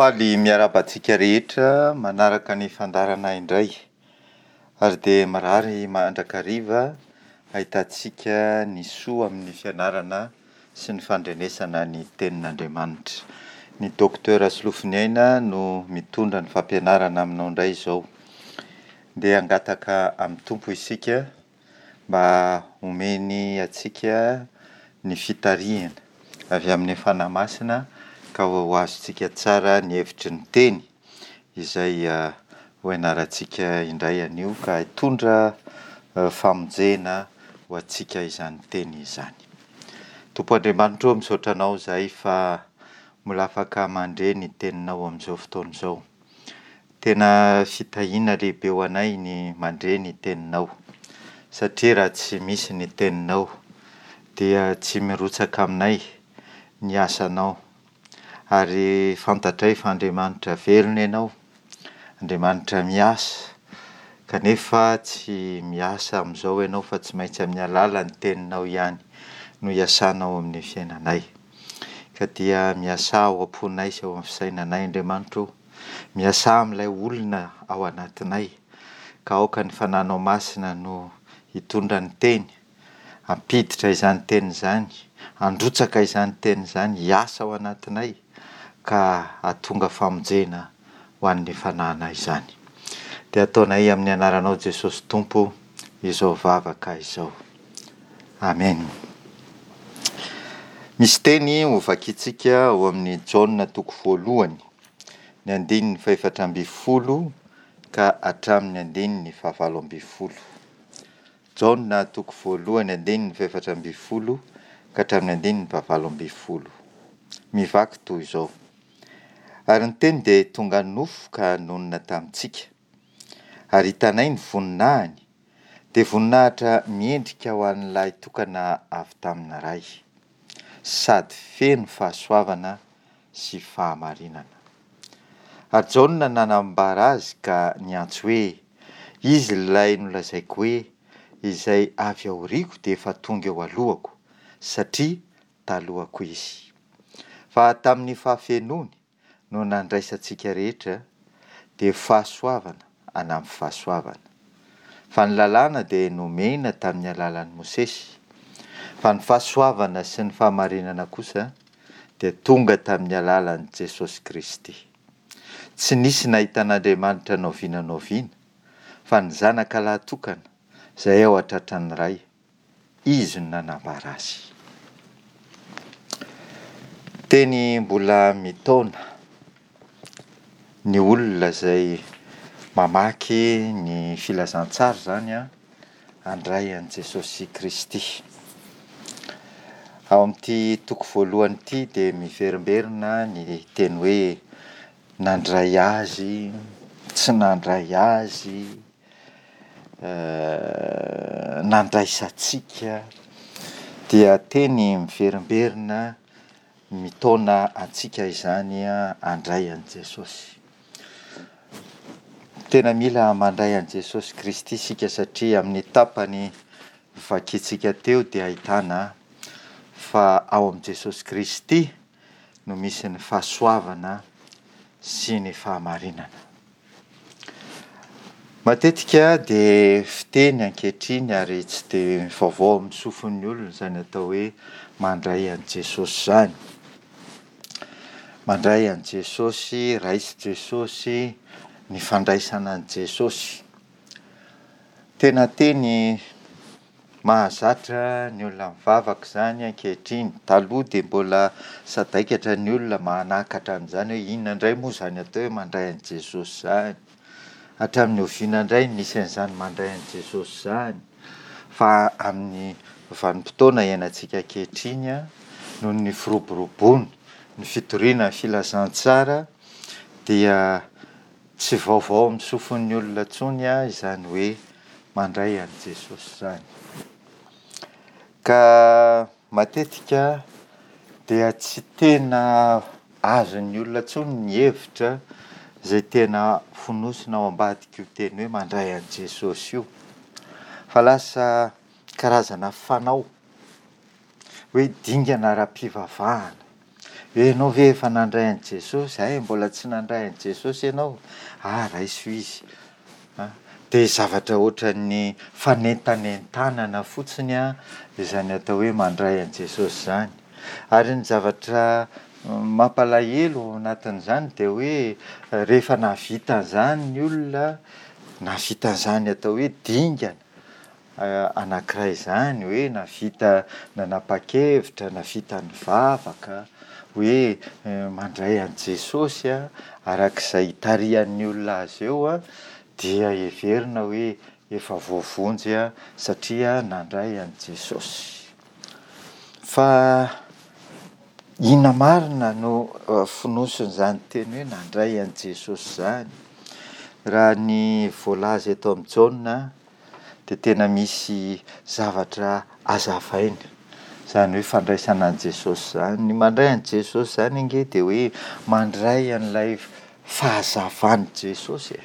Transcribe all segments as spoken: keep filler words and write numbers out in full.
Faly miarahaba antsika rehetra manaraka ny fandaharana indray ary dia mirary mandrakariva ahitantsika ny soa amin'ny fianarana sy ny fandrenesana ny tenin'Andriamanitra. Ny Docteur Solofoniaina no mitondra ny fampianarana aminao indray izao. Ndeha hangataka amin'ny Tompo isika mba homeny antsika ny fitarihana avy amin'ny Fanahy Masina ka ho azontsika tsara ny hevitry ny teny izay ho ianarantsika indray anio ka hitondra famonjena ho antsika izany teny izany. Tompo Andriamanitra ô, misaotra Anao izahay fa mbola afaka mandre ny teninao amin'izao fotoana izao. Tena fitahiana lehibe ho anay ny mandre ny teninao, satria raha tsy misy ny teninao dia tsy mirotsaka aminay ny asanao, ary fantatray fa Andriamanitra velona Ianao, Andriamanitra miasa, kanefa tsy miasa amin'izao Ianao fa tsy maintsy amin'ny alalan'ny teninao ihany no iasanao amin'ny fiainanay. Ka dia miasà ao am-ponay sy ao amin'ny fisainanay Andriamanitra o, miasà amin'ilay olona ao anatinay, ka aoka ny Fananao Masina no hitondra ny teny, hampiditra izany teny izany, handrotsaka izany teny izany, hiasa ao anatinay, ka hahatonga famonjena ho an'ny fanahinay izany. Dia ataonay amin'ny anaranao Jesosy Tompo izao vavaka izao. Amen. Misy teny hovakintsika ao amin'ny Jaona toko voalohany, ny andininy fahefatra ambin'ny folo ka hatramin'ny andininy fahavalo ambin'ny folo. Jaona toko voalohany andininy fahefatra ambin'ny folo ka hatramin'ny andininy fahavalo ambin'ny folo. Mivaky toy izao. Ary ny teny dia tonga nofo ka nonina tamintsika, ary hitanay ny voninahiny, dia voninahitra miendrika ho an'ny lahy tokana avy tamin'ny Ray, sady feno fahasoavana sy fahamarinana. Ary Jaona nanambara azy ka niantso hoe, Izy ilay nolazaiko hoe, Izay avy aoriako dia efa tonga eo alohako, satria talohako izy. Fa tamin'ny fahafenoany no nandraisantsika rehetra, dia fahasoavana anampy fahasoavana. Fa ny lalàna dia nomena tamin'ny alalan'i Mosesy, fa ny fahasoavana sy ny fahamarinana kosa dia tonga tamin'ny alalan'i Jesosy Kristy. Tsy nisy nahita an'Andriamanitra n'oviana n'oviana, fa ny Zanaka lahy tokana, izay ao an-tratran'ny Ray, Izy no nanambara azy. Teny mbola mitaona ny olona izay mamaky ny filazantsara izany an, handray an'i Jesosy Kristy. Ao amin'ity toko voalohany ity dia miverimberina ny teny hoe nandray azy, tsy nandray azy, nandraisantsika, dia teny miverimberina mitaona antsika izany handray an'i Jesosy. Tena mila mandray an'i Jesosy Kristy isika satria amin'ny tapany vakintsika teo dia ahitana fa ao amin'i Jesosy Kristy no misy ny fahasoavana sy ny fahamarinana. Matetika dia fiteny ankehitriny ary tsy dia vaovao amin'ny sofin'ny olona izany atao hoe mandray an'i Jesosy izany. Mandray an'i Jesosy, raiso Jesosy, ny fandraisana an'i Jesosy. Tena teny mahazatra ny olona mivavaka izany ankehitriny. Taloha dia mbola sadaikatra ny olona manakatra an'izany hoe inona indray moa izany atao hoe mandray an'i Jesosy izany. Hatramin'ny oviana indray no nisy an'izany mandray an'i Jesosy izany. Fa amin'ny vanim-potoana iainantsika ankehitriny, noho ny firoboroboana, ny fitoriana ny filazantsara, dia tsy vaovao amin'ny sofin'ny olona intsony izany hoe mandray an'i Jesosy izany. Ka matetika dia tsy tena azon'ny olona intsony ny hevitra izay tena fonosina ao ambadik'io teny hoe mandray an'i Jesosy io. Fa lasa karazana fanao, hoe dingana ara-pivavahana, Hoe ianao ve efa nandray an'i Jesosy? Hay, mbola tsy nandray an'i Jesosy ianao? Ah, raiso Izy. Dia zavatra ohatran'ny fanentanentanana fotsiny an, izany atao hoe mandray an'i Jesosy izany. Ary ny zavatra mampalahelo ao anatin'izany dia hoe rehefa nahavita an'izany ny olona, nahavita an'izany atao hoe dingana anankiray izany, hoe nahavita nanapa-kevitra, nahavita nivavaka, hoe mandray an'i Jesosy an, arak'izay itarihan'ny olona azy eo an, dia heverina hoe efa voavonjy satria nandray an'i Jesosy. Fa inona marina no fonosin'izany teny hoe nandray an'i Jesosy izany? Raha ny voalaza eto amin'i Jaona dia tena misy zavatra hazavaina izany hoe fandraisana an'i Jesosy izany. Ny mandray an'i Jesosy izany ange dia hoe mandray an'ilay fahazavan'i Jesosy e.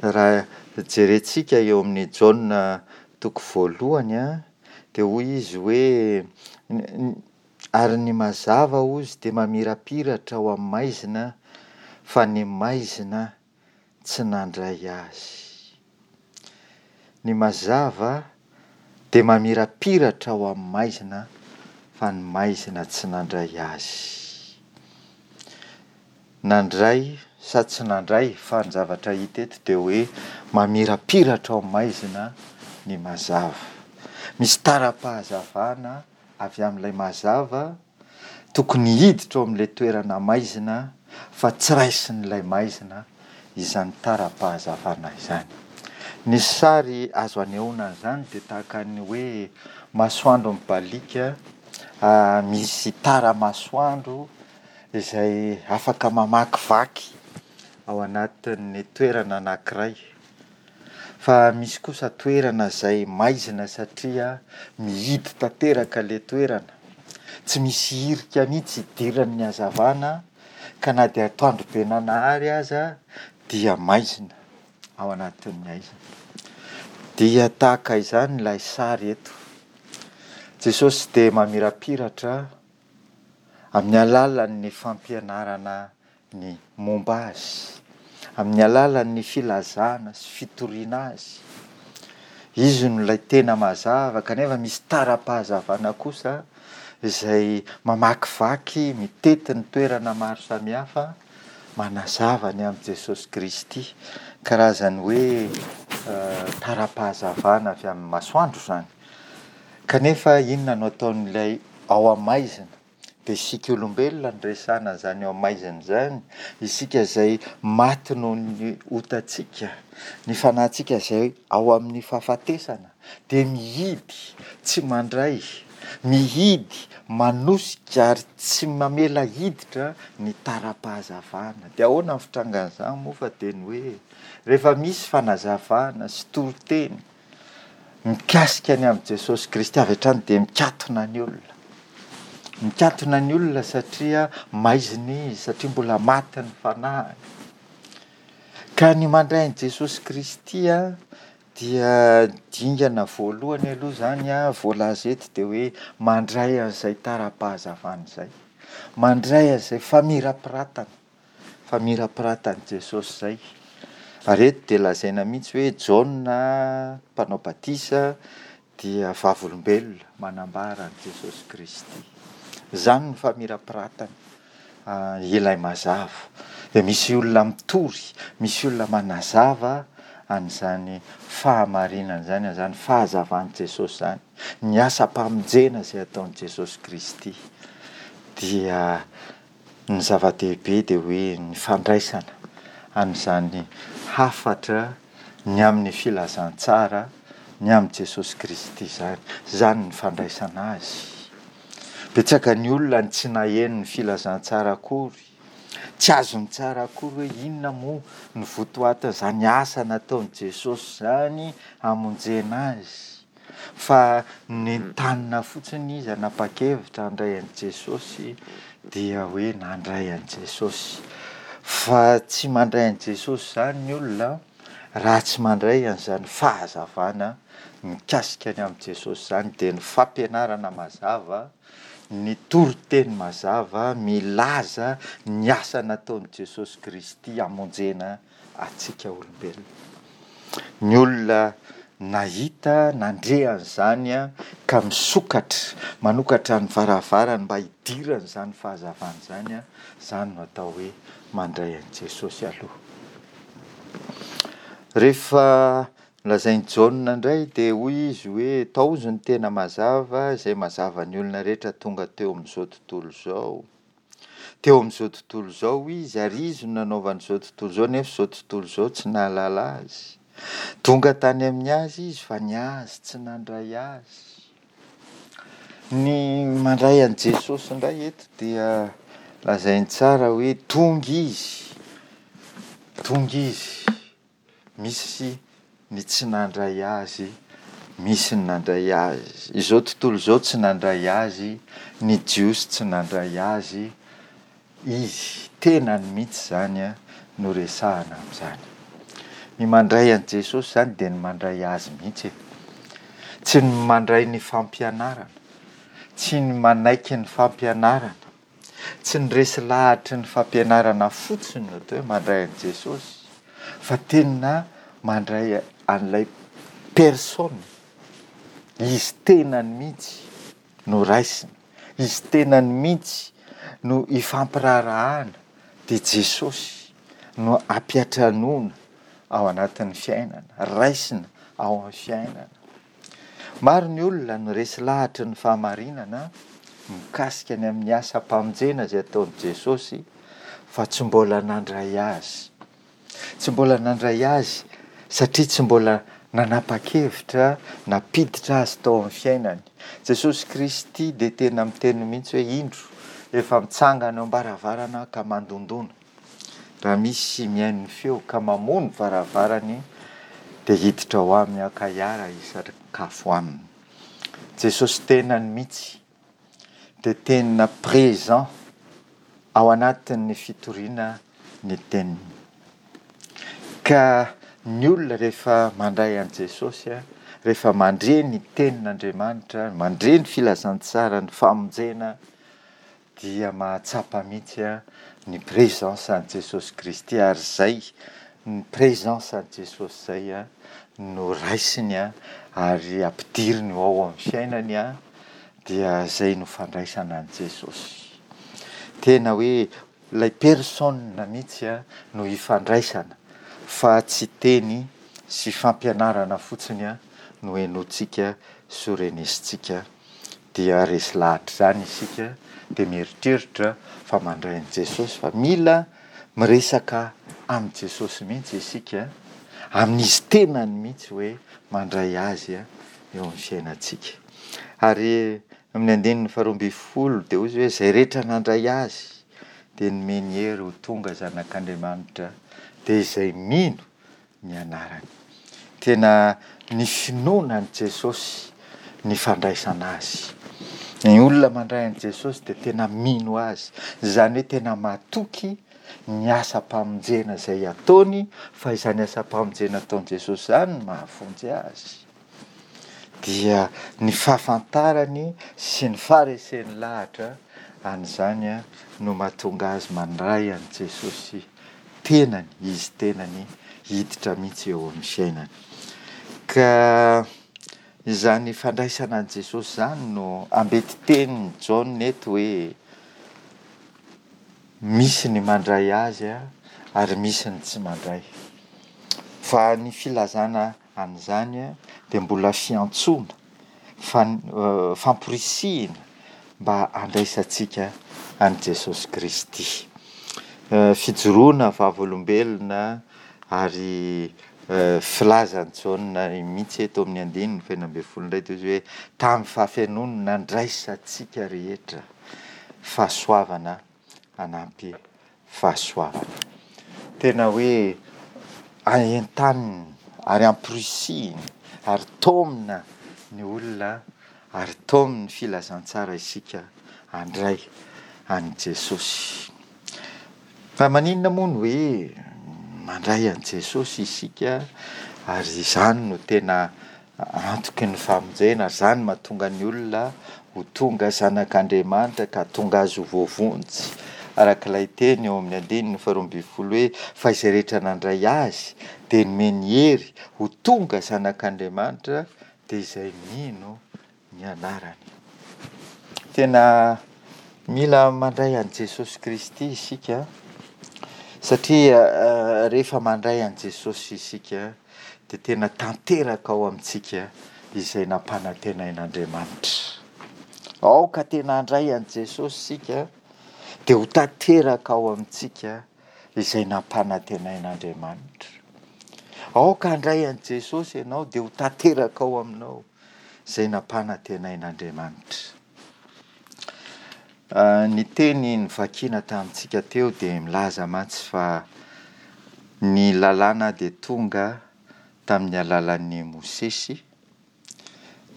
Raha jerentsika eo amin'ny Jaona toko voalohany an, dia hoy izy hoe ary ny mazava hozy dia mamirapiratra ao amin'ny maizina, fa ny maizina tsy nandray azy. Ny mazava dia mamirapiratra ao amin'ny maizina, fa ny maizina tsy nandray azy. Nandray sa tsy nandray, fa ny zavatra hita eto dia hoe mamirapiratra ao maizina ny mazava. Misy tara-pahazavana avy amin'ilay mazava tokony hiditra ao amin'ilay toerana maizina, fa tsy raisin'ilay maizina izany tara-pahazavana izany. Ny sary azo anehoana an'izany dia tahaka ny hoe masoandro mibaliaka, misy tara-masoandro izay afaka mamakivaky ao anatin'ny toerana anankiray. Fa misy kosa toerana izay maizina satria mihidy tanteraka ilay toerana. Tsy misy hirika mihitsy hidiran'ny hazavana, ka na dia atoandro be nanahary aza dia maizina ao anatin'ny haizina. Dia tahaka izany ilay sary eto. Jesosy dia mamirapiratra amin'ny alalan'ny fampianarana ny momba azy, amin'ny alalan'ny filazana sy fitoriana azy. Izy no ilay tena mazava, kanefa misy tara-pahazavana kosa izay mamakivaky, mitety ny toerana maro samihafa, manazava ny amin'i Jesosy Kristy. Karazany hoe tara-pahazavana avy amin'ny masoandro izany. Kanefa inona no ataon'ilay ao amin'ny maizina? Dia isika olombelona no resahana an'izany ao amin'ny maizina izany, isika izay maty noho ny otantsika, ny fanahintsika izay ao amin'ny fahafatesana, dia mihidy, tsy mandray, mihidy, manosika ary tsy mamela hiditra ny tara-pahazavana. Dia ahoana ny fitrangan'izany moa fa dia ny hoe rehefa misy fanazavana sy toriteny mikasika ny amin'i Jesosy Kristy, avy hatrany dia mikatona ny olona. Mikatona ny olona satria maizina izy, satria mbola maty ny fanahiny. Ka ny mandray an'i Jesosy Kristy an, dia dingana voalohany aloha izany an, voalaza eto dia hoe mandray an'izay tara-pahazavana izay. Mandray an'izay famirapiratana, famirapiratan'i Jesosy izay. Ary eto dia lazaina mihitsy hoe Jaona mpanao batisa dia vavolombelona manambara an'i Jesosy Kristy. Izany no famirapiratana ilay mazava. Dia misy olona mitory, misy olona manazava an'izany fahamarinana izany, an'izany fahazavan'i Jesosy izany, ny asam-pamonjena izay ataon'i Jesosy Kristy. Dia ny zava-dehibe dia hoe ny fandraisana an'izany hafatra ny amin'ny filazantsara ny amin'i Jesosy Kristy izany. Izany ny fandraisana azy. Betsaka ny olona ny tsy naheno ny filazantsara akory, tsy azony tsara akory hoe inona moa ny votoatin'izany asa nataon'i Jesosy izany hamonjena azy, fa nentanina fotsiny izy hanapa-kevitra handray an'i Jesosy, dia hoe nandray an'i Jesosy. Fa tsy mandray an'i Jesosy izany ny olona raha tsy mandray an'izany fahazavana mikasika ny amin'i Jesosy izany, dia ny fampianarana mazava ny toriteny mazava milaza ny asa nataon'i Jesosy Kristy hamonjena antsika olombelona. Ny olona nahita, nandre an'izany ka misokatra, manokatra ny varavarany mba hidiran'izany fahazavana izany, izany no atao hoe mandray an'i Jesosy aloha. Rehefa nolazain'i Jaona indray dia hoy izy hoe taozo ny tena mazava, izay mazava ny olona rehetra tonga teo amin'izao tontolo izao. Teo amin'izao tontolo izao izy, ary izy no nanaovan'izao tontolo izao, nefa izao tontolo izao tsy nahalala azy. Tonga tany amin'ny azy izy, fa ny azy tsy nandray azy. Ny mandray an'i Jesosy indray eto dia lazainy tsara hoe tonga izy, tonga izy, misy ny tsy nandray azy, misy ny nandray azy. Izao tontolo izao tsy nandray azy, ny Jiosy tsy nandray azy, izy tenany mihitsy izany no resahana amin'izany. Ny mandray an'i Jesosy izany dia ny mandray azy mihitsy e. Tsy ny mandray ny fampianarana, tsy ny manaiky ny fampianarana, tsy ny resy lahatry ny fampianarana fotsiny no atao hoe mandray an'i Jesosy, fa tena mandray an'ilay personne, izy tenany mihitsy no raisina, izy tenany mihitsy no ifampiraharahana, dia Jesosy no ampiantranoana ao anatin'ny fiainana, raisina ao amin'ny fiainana. Maro ny olona no resy lahatry ny fahamarinana mikasika ny amin'ny asam-pamonjena izay ataon'i Jesosy, fa tsy mbola nandray azy. Tsy mbola nandray azy satria tsy mbola nanapa-kevitra nampiditra azy tao amin'ny fiainany. Jesosy Kristy dia tena miteny mihitsy hoe indro efa mitsangana eo am-baravarana ka mandondona. Raha misy mihaino ny feo ka mamoha ny varavarany dia hiditra ao aminy aho ka hiara hisakafo aminy. Jesosy tenany mihitsy dia tena présent ao anatin'ny fitoriana ny teniny. Ka ny olona rehefa mandray an'i Jesosy, rehefa mandre ny tenin'Andriamanitra, mandre ny filazantsara, ny famonjena, dia mahatsapa mihitsy ny présence an'i Jesosy Kristy, ary izay ny présence an'i Jesosy izay no raisiny ary ampidiriny ho ao amin'ny fiainany, dia izay no fandraisana an'i Jesosy. Tena hoe ilay personne mihitsy no ifandraisana, fa tsy teny sy fampianarana fotsiny no henointsika sy renesintsika. Dia resy lahatra izany isika, dia mieritreritra fa mandray an'i Jesosy, fa mila miresaka amin'i Jesosy mihitsy isika, amin'izy tenany mihitsy hoe mandray azy eo amin'ny fiainantsika. Ary amin'ny andininy faharoa ambin'ny folo dia hoy izy hoe izay rehetra nandray azy dia nomeny hery ho tonga zanak'Andriamanitra, dia izay mino ny anarany. Tena ny finoana an'i Jesosy, ny fandraisana azy. Ny olona mandray an'i Jesosy dia tena mino azy, izany hoe tena matoky ny asam-pamonjena izay ataony, fa izany asam-pamonjena ataon'i Jesosy izany no mahavonjy azy. Dia ny fahafantarany sy ny fahareseny lahatra an'izany no mahatonga azy mandray an'i Jesosy tenany, izy tenany hiditra mihitsy eo amin'ny fiainany. Ka izany fandraisana an'i Jesosy izany no ambetitenin'i Jaona eto hoe misy ny mandray azy ary misy ny tsy mandray. Fa ny filazana an'izany dia mbola fiantsoana, fan-, famporisihina mba handraisantsika an'i Jesosy Kristy. Fijoroana vavolombelona ary filazan'i Jaona mihitsy eto amin'ny andininy fahenina ambin'ny folo indray dia izy hoe tamin'ny fahafenoany nandraisantsika rehetra fahasoavana hanampy fahasoavana. Tena hoe entanina ary amporisihina ary taomina ny olona ary taominy filazantsara isika handray an'i Jesosy. Fa maninona moa no hoe mandray an'i Jesosy isika, ary izany no tena antoky ny famonjena, ary izany mahatonga ny olona ho tonga zanak'Andriamanitra ka hahatonga azy ho voavonjy, araka ilay teny eo amin'ny andininy faharoa ambin'ny folo hoe fa izay rehetra nandray azy dia nomeny hery ho tonga zanak'Andriamanitra dia izay mino ny anarany. Tena mila mandray an'i Jesosy Kristy isika satria rehefa mandray an'i Jesosy isika dia tena tanteraka ao amintsika izay nampanantenain'Andriamanitra. Aoka tena handray an'i Jesosy isika dia ho tanteraka ao amintsika izay nampanantenain'Andriamanitra. Aoka handray an'i Jesosy ianao dia ho tanteraka ao aminao izay nampanantenain'Andriamanitra. Ny teny novakiana tamintsika teo dia milaza mantsy fa ny lalàna dia tonga tamin'ny alalan'i Mosesy,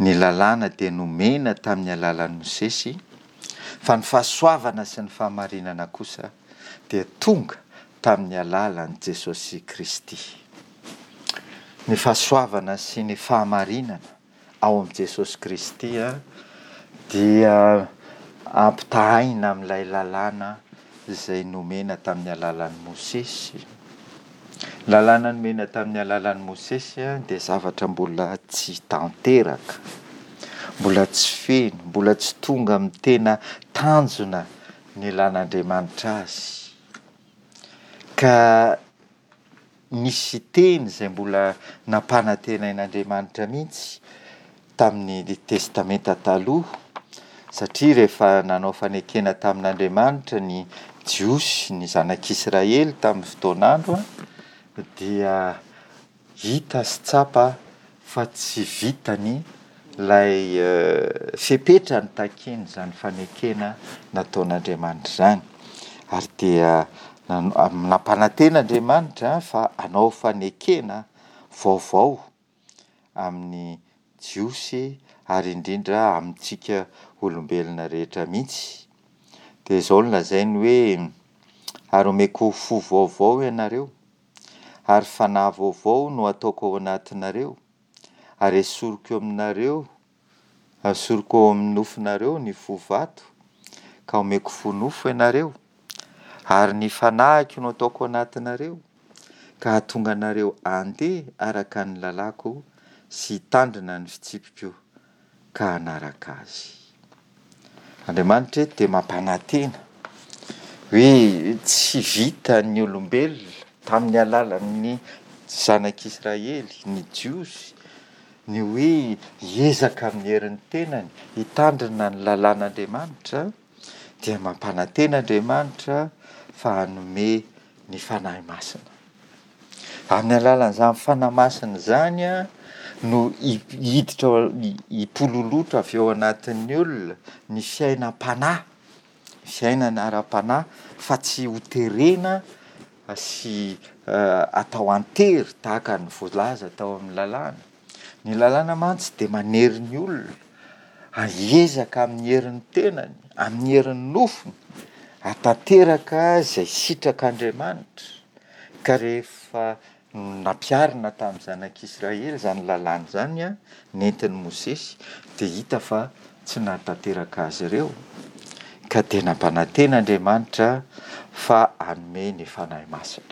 ny lalàna dia nomena tamin'ny alalan'i Mosesy, fa ny fahasoavana sy ny fahamarinana kosa dia tonga tamin'ny alalan'i Jesosy Kristy. Ny fahasoavana sy ny fahamarinana ao amin'i Jesosy Kristy dia ampitahaina amin'ilay lalàna izay nomena tamin'ny alalan'i Mosesy. Ny lalàna nomena tamin'ny alalan'i Mosesy dia zavatra mbola tsy tanteraka, mbola tsy feno, mbola tsy tonga amin'ny tena tanjona nilan'Andriamanitra azy. Ka nisy teny izay mbola nampanantenain'Andriamanitra mihitsy tamin'ny Testamenta Taloha, satria rehefa nanao fanekena tamin'Andriamanitra ny Jiosy, ny zanak'Israely tamin'ny fotoan'andro, dia hita sy tsapa fa tsy vitany ilay fepetra nitakian'izany fanekena nataon'Andriamanitra izany. Ary dia nampanantena Andriamanitra fa hanao fanekena vaovao amin'ny Jiosy ary indrindra amintsika olombelona rehetra mihitsy. Dia izao no lazainy hoe, ary omeko fo vaovao ianareo, ary fanahy vaovao no ataoko ao anatinareo, ary esoriko eo aminareo, asoriko ao amin'ny nofonareo ny fo vato, ka omeko fo nofo ianareo, ary ny fanahiko no ataoko anatinareo, ka hahatonga anareo handeha araka ny lalàko sy hitandrina ny fitsipiko ka hanaraka azy. Andriamanitra eto dia mampanantena hoe tsy vitan'ny olombelona tamin'ny alalan'ny zanak'Israely, ny Jiosy, ny hoe hiezaka amin'ny herin'ny tenany hitandrina ny lalàn'Andriamanitra, dia mampanantena Andriamanitra fa hanome ny Fanahy Masina. Amin'ny alalan'izany Fanahy Masina izany no hiditra, hipololotra avy ao anatin'ny olona ny fiainam-panahy, fiainana ara-panahy, fa tsy hoterena sy atao an-tery tahaka ny voalaza tao amin'ny lalàna. Ny lalàna mantsy dia manery ny olona hiezaka amin'ny herin'ny tenany, amin'ny herin'ny nofony, hahatanteraka izay sitrak'Andriamanitra. Ka rehefa nampiharina tamin'ny zanak'Israely izany lalàna izany, nentin'i Mosesy, dia hita fa tsy nahatanteraka azy ireo. Ka dia nampanantena Andriamanitra fa hanome ny Fanahy Masina.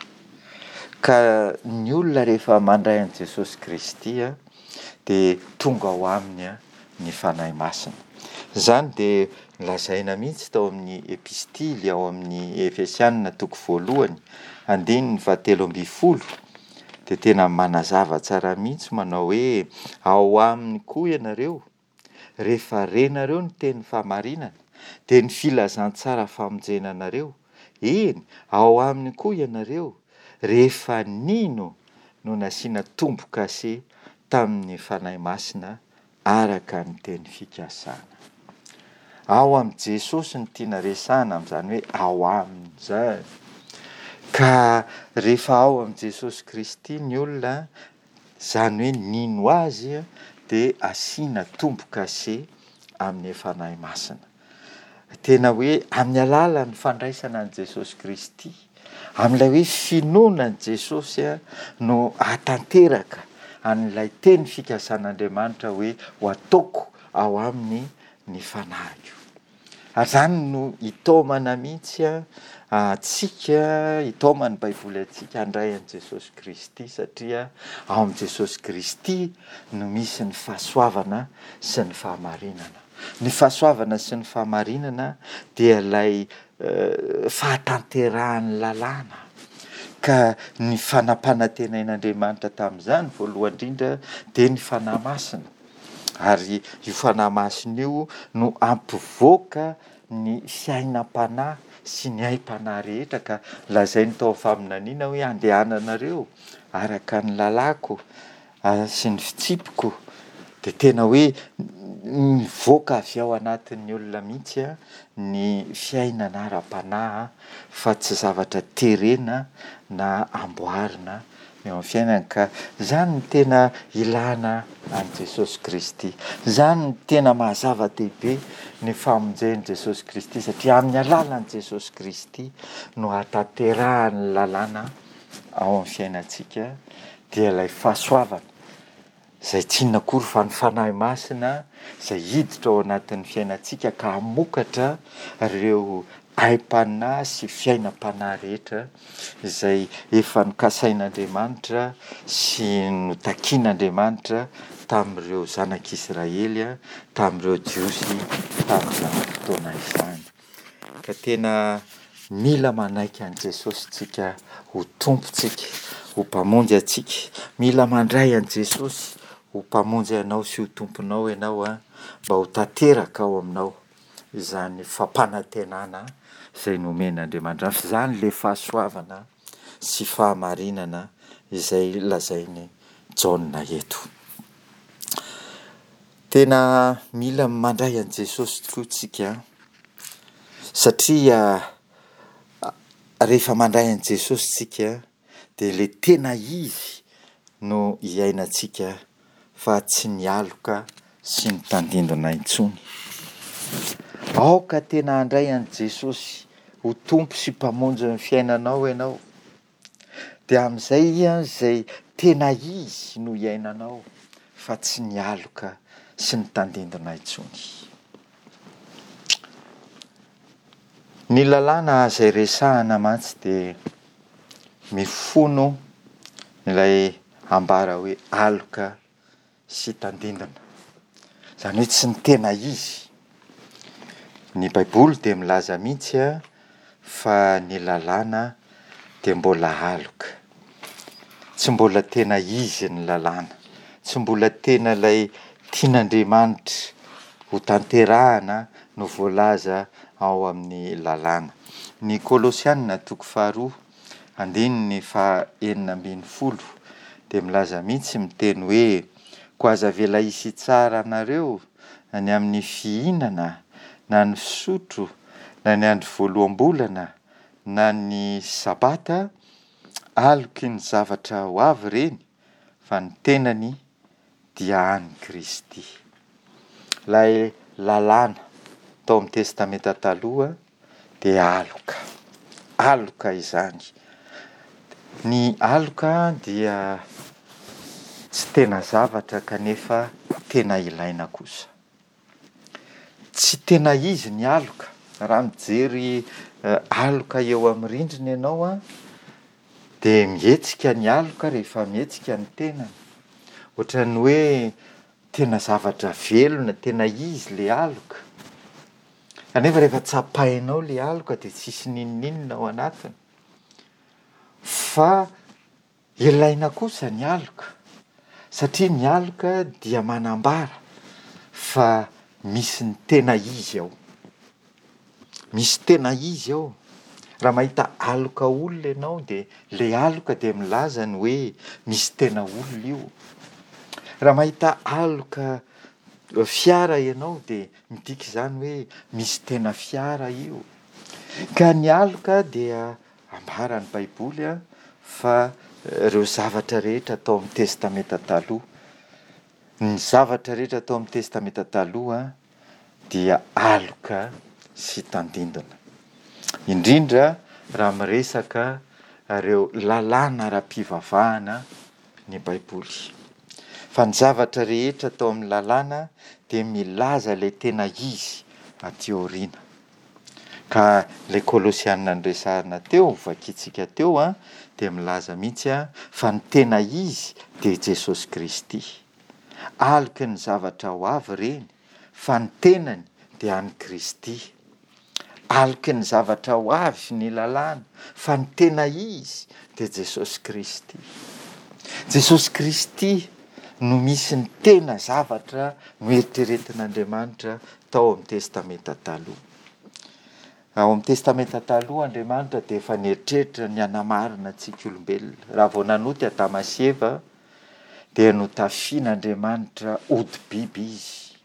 Ka ny olona rehefa mandray an'i Jesosy Kristy dia tonga ao aminy ny Fanahy Masina. Izany dia lazaina mihitsy tao amin'ny epistily ao amin'ny Efesianina toko voalohany, andininy fahatelo ambin'ny folo, dia tena manazava tsara mihitsy manao hoe ao aminy koa ianareo, rehefa renareo ny teny fahamarinana, dia ny filazantsara famonjena anareo, eny, ao aminy koa ianareo, rehefa nino no nasiana tombo-kase tamin'ny Fanahy Masina araka ny teny fikasana. Ao amin'i Jesosy no tiana resahana amin'izany hoe ao aminy izany. Ka rehefa ao amin'i Jesosy Kristy ny olona, izany hoe nino Azy, dia asiana tombo-kase amin'ny Fanahy Masina. Tena hoe amin'ny alalan'ny fandraisana an'i Jesosy Kristy, amin'ilay hoe finoana an'i Jesosy no hahatanteraka an'ilay teny fikasan'Andriamanitra hoe ho ataoko ao aminy ny fanahiko. Ary izany no itaomana mihitsy antsika, itaoman'ny Baiboly antsika handray an'i Jesosy Kristy satria ao amin'i Jesosy Kristy no misy ny fahasoavana sy ny fahamarinana. Ny fahasoavana sy ny fahamarinana dia ilay fahatanterahan'ny lalàna, ka ny fanampanantenain'Andriamanitra tamin'izany voalohany indrindra dia ny Fanahy Masina. Ary io Fanahy Masina io no hampivoaka ny fiainam-panahy sy ny aim-panahy rehetra, ka lazainy tao amin'ny faminaniana hoe andehananareo araka ny lalàko sy ny fitsipiko, dia tena hoe mivoaka avy ao anatin'ny olona mihitsy ny fiainana ara-panahy fa tsy zavatra terena na amboarina eo amin'ny fiainana. Ka izany no tena ilana an'i Jesosy Kristy. Izany no tena maha zava-dehibe ny famonjen'i Jesosy Kristy, satria amin'ny alalan'i Jesosy Kristy no hahatanterahan'ny lalàna ao amin'ny fiainantsika, dia ilay fahasoavana izay tsy inona akory fa ny Fanahy Masina izay hiditra ao anatin'ny fiainantsika ka hamokatra ireo aim-panahy sy fiainam-panahy rehetra izay efa nokasain'Andriamanitra sy notakian'Andriamanitra tamin'ireo zanak'Israely, tamin'ireo Jiosy tamin'izany fotoana izany. Ka tena mila manaiky an'i Jesosy tsika ho Tompontsika, ho Mpamonjy antsika. Mila mandray an'i Jesosy ho Mpamonjy anao sy ho Tomponao ianao, mba ho tanteraka ao aminao izany fampanantenana izay nomen'Andriamanitra. Fa izany ilay fahasoavana sy fahamarinana izay lazain'i Jaona eto. Tena mila mandray an'i Jesosy tokoa tsika, satria rehefa mandray an'i Jesosy tsika dia ilay tena izy no iainantsika fa tsy ny aloka sy ny tandindona intsony. Aoka tena handray an'i Jesosy ho Tompo sy Mpamonjy ny fiainanao ianao. Dia amin'izay izay tena izy no iainanao fa tsy ny aloka sy ny tandindona intsony. Ny lalàna izay resahana mantsy dia mifono ilay ambara hoe aloka sy tandindona. Izany hoe tsy ny tena izy. Ny Baiboly dia milaza mihitsy fa ny lalàna dia mbola aloka. Tsy mbola tena izy ny lalàna. Tsy mbola tena ilay tian'Andriamanitra ho tanterahana no voalaza ao amin'ny lalàna. Ny Kolosiana toko faharoa andininy faha enina ambin'ny folo dia milaza mihitsy miteny hoe koa aza avela hisy hitsara anareo ny amin'ny fihinana na ny fisotro na ny andro voaloham-bolana na ny sabata, aloky ny zavatra ho avy ireny fa ny tenany dia an'i Kristy. Ilay lalàna tao amin'ny Testamenta Taloha dia aloka. Aloka izany. Ny aloka dia tsy tena zavatra kanefa tena ilaina kosa. Tsy tena izy ny aloka. Raha mijery aloka eo amin'ny rindrina ianao an, dia mihetsika ny aloka rehefa mihetsika ny tenany. Ohatran'ny hoe tena zavatra velona, tena izy ilay aloka. Kanefa rehefa tsapainao ilay aloka dia tsisy n'inon'inona ao anatiny. Fa ilaina kosa ny aloka, satria ny aloka dia manambara fa misy ny tena izy ao. Misy tena izy ao. Raha mahita aloka olona ianao dia ilay aloka dia milaza ny hoe misy tena olona io. Raha mahita aloka fiara ianao dia midika izany hoe misy tena fiara io. Ka ny aloka dia ambaran'ny Baiboly fa ireo zavatra rehetra tao amin'ny Testamenta Taloha, ny zavatra rehetra tao amin'ny Testamenta Taloha dia aloka sy tandindona. Indrindra raha miresaka ireo lalàna ara-pivavahana ny Baiboly. Fa ny zavatra rehetra tao amin'ny lalàna dia milaza ilay tena izy aty aoriana. Ka ilay Kolosiana noresahina teo, novakintsika teo an, dia milaza mihitsy an, fa ny tena izy dia Jesosy Kristy. Aloky ny zavatra ho avy ireny, fa ny tenany dia an'i Kristy. Aloky ny zavatra ho avy ny lalàna, fa ny tena izy dia Jesosy Kristy. Jesosy Kristy no misy ny tena zavatra noeritreretin'Andriamanitra tao amin'ny Testamenta Taloha. Ao amin'ny Testamenta Taloha Andriamanitra dia efa nieritreritra ny hanamarina antsika olombelona. Raha vao nanota i Adama sy Eva dia notafian'Andriamanitra hodi-biby izy.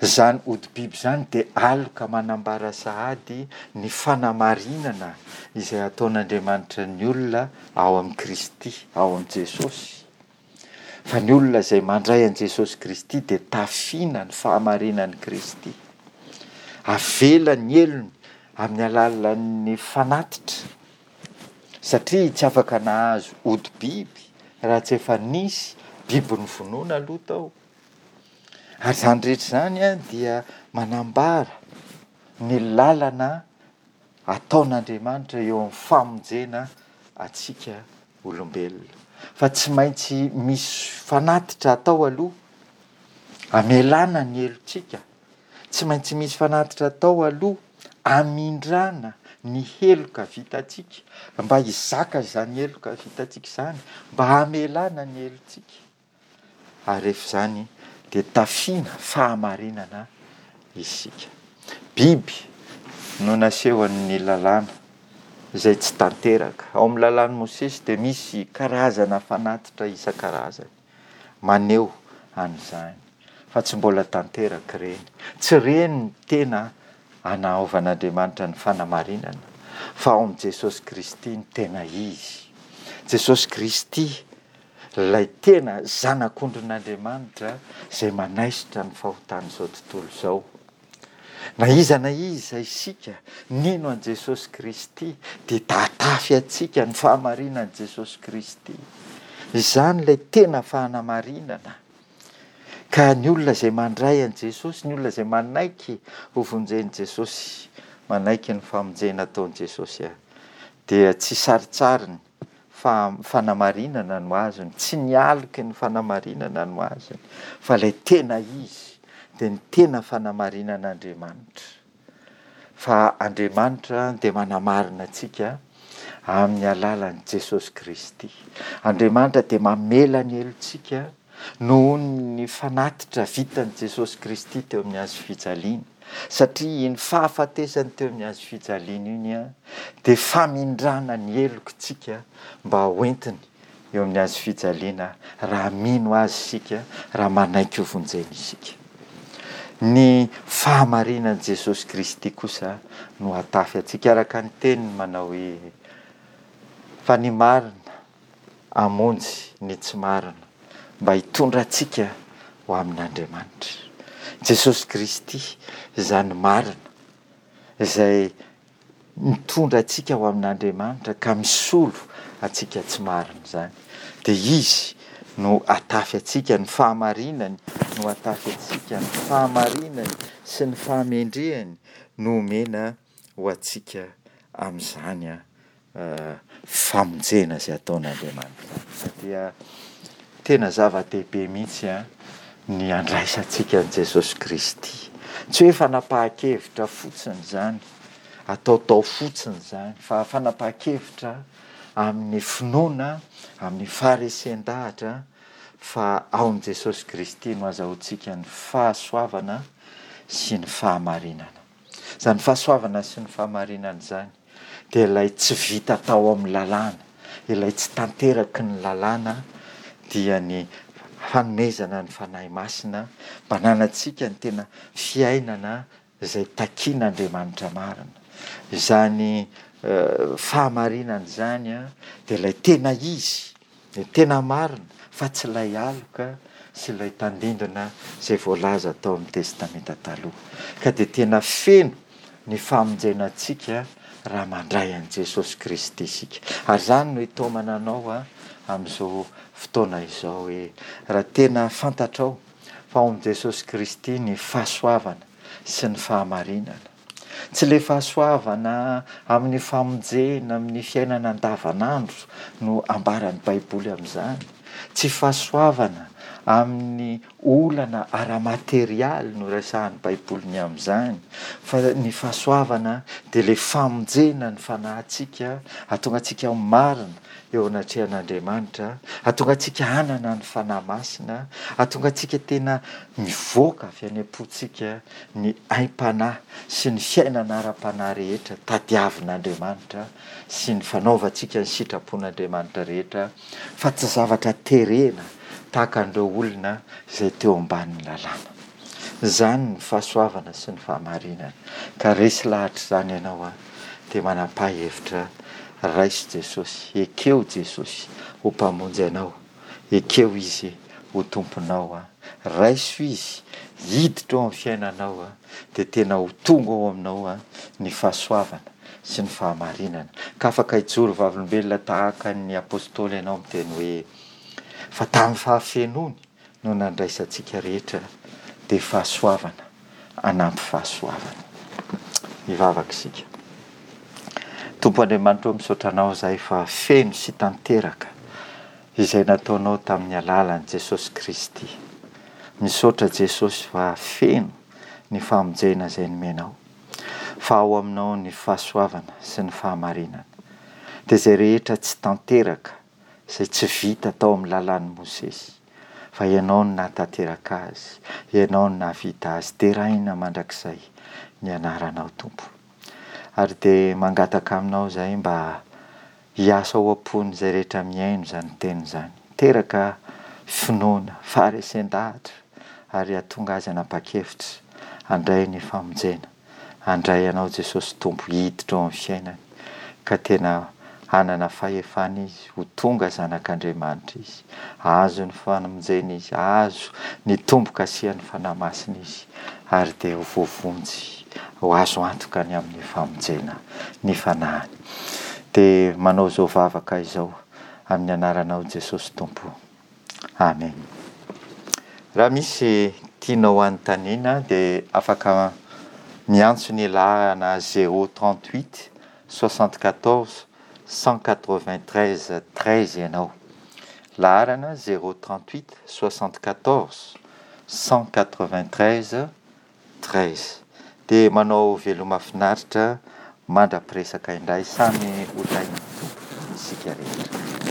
Izany hodi-biby izany dia aloka manambara sahady ny fanamarinana izay ataon'Andriamanitra ny olona ao amin'i Kristy, ao amin'i Jesosy. Fa ny olona izay mandray an'i Jesosy Kristy dia tafiana ny fahamarinan'i Kristy. Avela ny helony amin'ny alalan'ny fanatitra, satria tsy afaka nahazo hodi-biby raha tsy efa nisy biby novonoina aloha tao. Ary izany rehetra izany dia manambara ny lalana ataon'Andriamanitra eo amin'ny famonjena antsika olombelona. Fa tsy maintsy misy fanatitra atao aloha hamelana ny helotsika. Tsy maintsy misy fanatitra atao aloha hamindrana ny heloka vitantsika, mba hizaka izany heloka vitantsika izany, mba hamelana ny helotsika. Ary rehefa izany dia tafiana fahamarinana isika. Biby no nasehon'ny lalàna izay tsy tanteraka. Ao amin'ny lalàn'i Mosesy dia misy karazana fanatitra isan-karazany maneho an'izany, fa tsy mbola tanteraka ireny. Tsy ireny ny tena anaovan'Andriamanitra ny fanamarinana, fa ao amin'i Jesosy Kristy ny tena izy. Jesosy Kristy, ilay tena Zanak'ondrin'Andriamanitra izay manaisotra ny fahotan'izao tontolo izao. Na iza na iza isika nino an'i Jesosy Kristy dia tatafy antsika ny fahamarinan'i Jesosy Kristy. Izany ilay tena fanamarinana. Ka ny olona izay mandray an'i Jesosy, ny olona izay manaiky ho vonjen'i Jesosy, manaiky ny famonjena ataon'i Jesosy, dia tsy sarintsariny fa fanamarinana no azony, tsy ny aloky ny fanamarinana no azony, fa ilay tena izy dia ny tena fanamarinan'Andriamanitra. Fa Andriamanitra dia manamarina antsika amin'ny alalan'i Jesosy Kristy. Andriamanitra dia mamela ny helotsika noho ny fanatitra vitan'i Jesosy Kristy teo amin'ny hazo fijaliana. Satria iny fahafatesany teo amin'ny hazo fijaliana iny dia famindrana ny helokintsika mba hoentiny eo amin'ny hazo fijaliana raha mino azy isika, raha manaiky ho vonjena isika. Ny fahamarinan'i Jesosy Kristy kosa no hatafy antsika araka ny teniny manao hoe fa ny marina hamonjy ny tsy marina mba hitondra antsika ho amin'Andriamanitra. Jesosy Kristy izany marina izay mitondra antsika ho amin'Andriamanitra ka misolo antsika tsy marina izany. Dia Izy no hatafy antsika, ny fahamarinany no hatafy antsika, ny fahamarinany sy ny fahamendrehany no omena ho antsika amin'izany famonjena izay ataon'Andriamanitra. Dia tena zava-dehibe mihitsy ny handraisantsika an'i Jesosy Kristy. Tsy hoe fanapahan-kevitra fotsiny izany, ataotao fotsiny izany, fa fanapahan-kevitra amin'ny finoana, amin'ny faharesen-dahatra fa ao amin'i Jesosy Kristy no azahoantsika ny fahasoavana sy ny fahamarinana. Izany fahasoavana sy ny fahamarinana izany dia ilay tsy vita tao amin'ny lalàna, ilay tsy tanteraky ny lalàna, dia ny fanomezana ny Fanahy Masina mba hananantsika ny tena fiainana izay takian'Andriamanitra marina. Izany fahamarinana izany dia ilay tena izy, ilay tena marina, fa tsy ilay aloka sy ilay tandindona izay voalaza tao amin'ny Testamenta Taloha. Ka dia tena feno ny famonjena antsika raha mandray an'i Jesosy Kristy isika. Ary izany no itaomana anao amin'izao fotoana izao hoe raha tena fantatrao fa ao amin'i Jesosy Kristy ny fahasoavana sy ny fahamarinana. Tsy ilay fahasoavana amin'ny famonjena amin'ny fiainana andavanandro no ambaran'ny Baiboly amin'izany. Tsy fahasoavana amin'ny olana ara-materialy no resahan'ny Baiboly ny amin'izany, fa ny fahasoavana dia ilay famonjena ny fanahintsika, hahatonga antsika ho marina eo anatrehan'Andriamanitra, hahatonga antsika hanana ny Fanahy Masina, hahatonga antsika tena mivoaka avy any am-pontsika ny aim-panahy sy ny fiainana ara-panahy rehetra tadiavin'Andriamanitra sy ny fanaovantsika ny sitrapon'Andriamanitra rehetra, fa tsy zavatra terena tahaka an'ireo olona izay teo ambanin'ny lalàna. Izany ny fahasoavana sy ny fahamarinana. Ka resy lahatra izany ianao an, dia manapaha hevitra, raiso Jesosy, ekeo Jesosy ho Mpamonjy anao, ekeo Izy ho Tomponao an, raiso Izy hiditra ao amin'ny fiainanao an, dia tena ho tonga ao aminao an ny fahasoavana sy ny fahamarinana. Ka afaka hijoro vavolombelona tahaka ny apostoly ianao miteny hoe, Fa tamin'ny fahafenoany no nandraisantsika rehetra dia fahasoavana hanampy fahasoavana. Hivavaka isika. Tompo Andriamanitra ô, misaotra Anao izahay fa feno sy tanteraka izay nataonao tamin'ny alalan'i Jesosy Kristy. Misaotra Jesosy fa feno ny famonjena izay nomenao, fa ao aminao ny fahasoavana sy ny fahamarinana. Dia izay rehetra tsy tanteraka izay tsy vita tao amin'ny lalàn'i Mosesy, fa Ianao no nahatanteraka azy, Ianao no nahavita azy. Deraina mandrakizay ny anaranao Tompo. Ary dia mangataka aminao izahay mba hiasa ao am-pon'izay rehetra mihaino izany teny izany. Teraka finoana, faharesen-dahatra ary hahatonga azy hanapa-kevitra handray ny famonjena. Handray Anao Jesosy Tompo hiditra ao amin'ny fiainany ka tena hanana fahefana izy, ho tonga zanak'Andriamanitra izy, hahazo ny famonjena izy, hahazo ny tombo-kasihan'ny Fanahy Masina izy ary dia ho voavonjy, ho azo antoka ny amin'ny famonjena ny fanahiny. Dia manao izao vavaka izao amin'ny anaranao Jesosy Tompo. Amen. Raha misy tianao hanontaniana dia afaka miantso ny laharana zéro trente huit soixante quatorze cent quatre vingt treize treize ianao. Laharana zéro trente huit soixante quatorze cent quatre vingt treize treize. Dia manao veloma finaritra mandra-piresaka indray, samy ho tahin'ny Tompo isika rehetra.